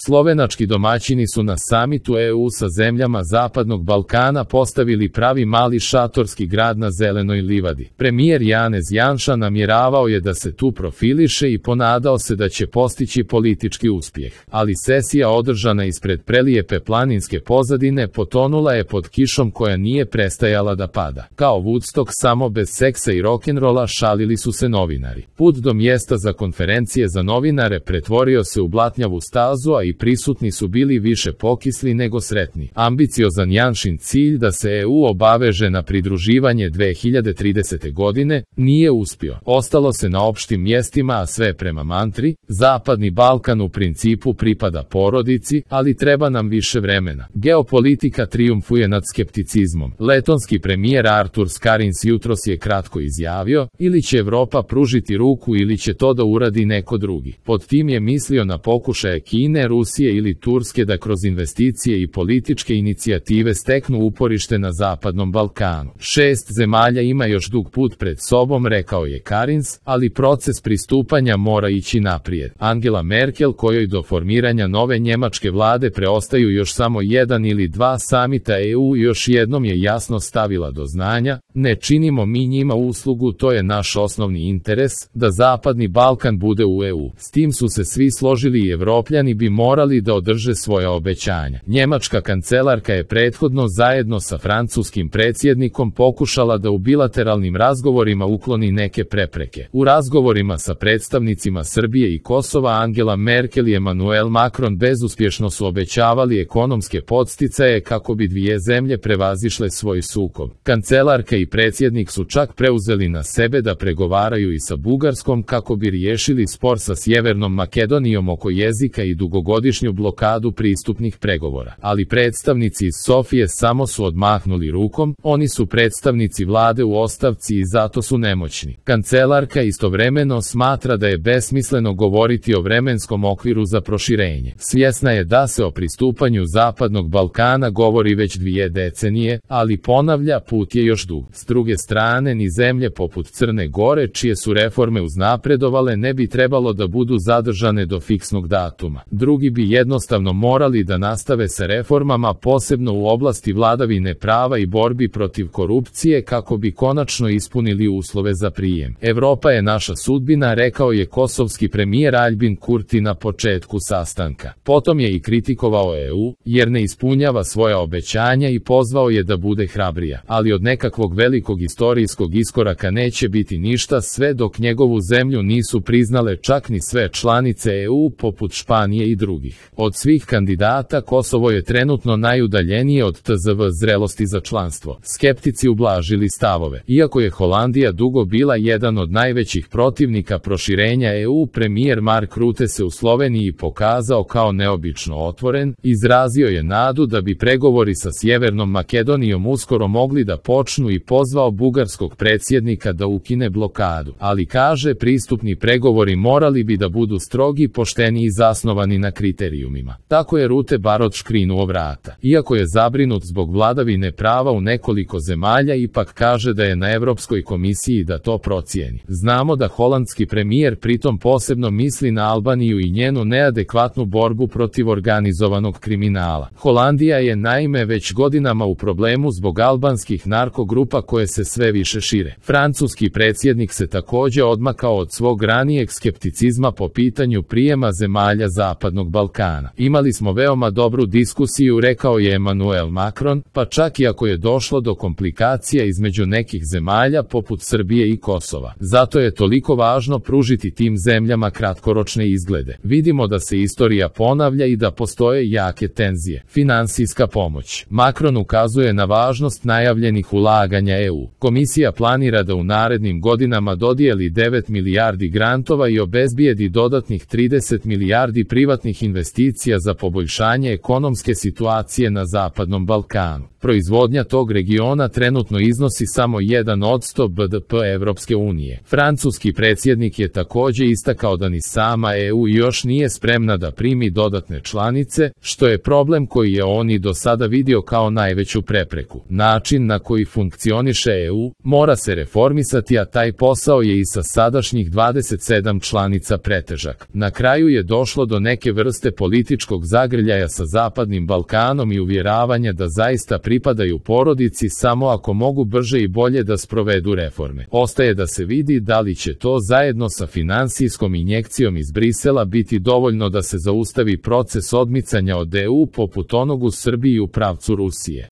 Slovenački domaćini su na samitu EU sa zemljama Zapadnog Balkana postavili pravi mali šatorski grad na zelenoj livadi. Premijer Janez Janša namjeravao je da se tu profiliše i ponadao se da će postići politički uspjeh. Ali sesija održana ispred prelijepe planinske pozadine potonula je pod kišom koja nije prestajala da pada. Kao Woodstock samo bez seksa i rock'n'rolla, šalili su se novinari. Put do mjesta za konferencije za novinare pretvorio se u blatnjavu stazu, a i prisutni su bili više pokisli nego sretni. Ambiciozan Janšin cilj da se EU obaveže na pridruživanje 2030. godine nije uspio. Ostalo se na opštim mjestima, a sve prema mantri: Zapadni Balkan u principu pripada porodici, ali treba nam više vremena. Geopolitika trijumfuje nad skepticizmom. Letonski premijer Artur Skarins jutros je kratko izjavio: ili će Evropa pružiti ruku ili će to da uradi neko drugi. Pod tim je mislio na pokušaje Kine, Rusije ili Turske da kroz investicije i političke inicijative steknu uporište na Zapadnom Balkanu. 6 zemalja ima još dug put pred sobom, rekao je Karins, ali proces pristupanja mora ići naprijed. Angela Merkel, kojoj do formiranja nove njemačke vlade preostaju još samo 1 ili 2 samita EU, još jednom je jasno stavila do znanja: ne činimo mi njima uslugu, to je naš osnovni interes, da Zapadni Balkan bude u EU. S tim su se svi složili i Evropljani bi morali da održe svoja obećanja. Njemačka kancelarka je prethodno zajedno sa francuskim predsjednikom pokušala da u bilateralnim razgovorima ukloni neke prepreke. U razgovorima sa predstavnicima Srbije i Kosova Angela Merkel i Emmanuel Macron bezuspješno su obećavali ekonomske podsticaje kako bi dvije zemlje prevazišle svoj sukob. Kancelarka i predsjednik su čak preuzeli na sebe da pregovaraju i sa Bugarskom kako bi riješili spor sa Sjevernom Makedonijom oko jezika i dugogodišnju blokadu pristupnih pregovora. Ali predstavnici iz Sofije samo su odmahnuli rukom: oni su predstavnici vlade u ostavci i zato su nemoćni. Kancelarka istovremeno smatra da je besmisleno govoriti o vremenskom okviru za proširenje. Svjesna je da se o pristupanju Zapadnog Balkana govori već 2 decenije, ali ponavlja, put je još dug. S druge strane, ni zemlje poput Crne Gore, čije su reforme uznapredovale, ne bi trebalo da budu zadržane do fiksnog datuma. Drugi bi jednostavno morali da nastave sa reformama, posebno u oblasti vladavine prava i borbi protiv korupcije, kako bi konačno ispunili uslove za prijem. Evropa je naša sudbina, rekao je kosovski premijer Aljbin Kurti na početku sastanka. Potom je i kritikovao EU, jer ne ispunjava svoja obećanja i pozvao je da bude hrabrija. Ali od nekakvog velikog istorijskog iskoraka neće biti ništa sve dok njegovu zemlju nisu priznale čak ni sve članice EU poput Španije i drugih. Od svih kandidata Kosovo je trenutno najudaljenije od tzv. zrelosti za članstvo. Skeptici ublažili stavove. Iako je Holandija dugo bila jedan od najvećih protivnika proširenja EU, premijer Mark Rutte se u Sloveniji pokazao kao neobično otvoren, izrazio je nadu da bi pregovori sa Sjevernom Makedonijom uskoro mogli da počnu i pozvao bugarskog predsjednika da ukine blokadu. Ali kaže, pristupni pregovori morali bi da budu strogi, pošteni i zasnovani na kriterijumima. Tako je Rutte bar odškrinuo vrata. Iako je zabrinut zbog vladavine prava u nekoliko zemalja, ipak kaže da je na Europskoj komisiji da to procijeni. Znamo da holandski premijer pritom posebno misli na Albaniju i njenu neadekvatnu borbu protiv organizovanog kriminala. Holandija je naime već godinama u problemu zbog albanskih narkogrupa koje se sve više šire. Francuski predsjednik se također odmakao od svog ranijeg skepticizma po pitanju prijema zemalja Zapadnog Balkana. Imali smo veoma dobru diskusiju, rekao je Emmanuel Macron, pa čak i ako je došlo do komplikacija između nekih zemalja poput Srbije i Kosova. Zato je toliko važno pružiti tim zemljama kratkoročne izglede. Vidimo da se istorija ponavlja i da postoje jake tenzije. Finansijska pomoć. Macron ukazuje na važnost najavljenih ulaganja EU. Komisija planira da u narednim godinama dodijeli 9 milijardi grantova i obezbijedi dodatnih 30 milijardi privatnih investicija za poboljšanje ekonomske situacije na Zapadnom Balkanu. Proizvodnja tog regiona trenutno iznosi samo 1% BDP Evropske unije. Francuski predsjednik je također istakao da ni sama EU još nije spremna da primi dodatne članice, što je problem koji je on i do sada vidio kao najveću prepreku. Način na koji funkcioniše EU mora se reformisati, a taj posao je i sa sadašnjih 27 članica pretežak. Na kraju je došlo do neke vrste vrste političkog zagrljaja sa Zapadnim Balkanom i uvjeravanja da zaista pripadaju porodici samo ako mogu brže i bolje da sprovedu reforme. Ostaje da se vidi da li će to zajedno sa finansijskom injekcijom iz Brisela biti dovoljno da se zaustavi proces odmicanja od EU poput onog u Srbiji u pravcu Rusije.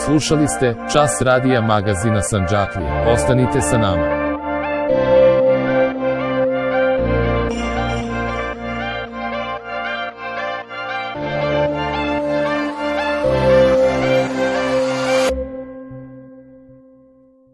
Slušali ste Čas radija magazina Sandžaklije. Ostanite sa nama.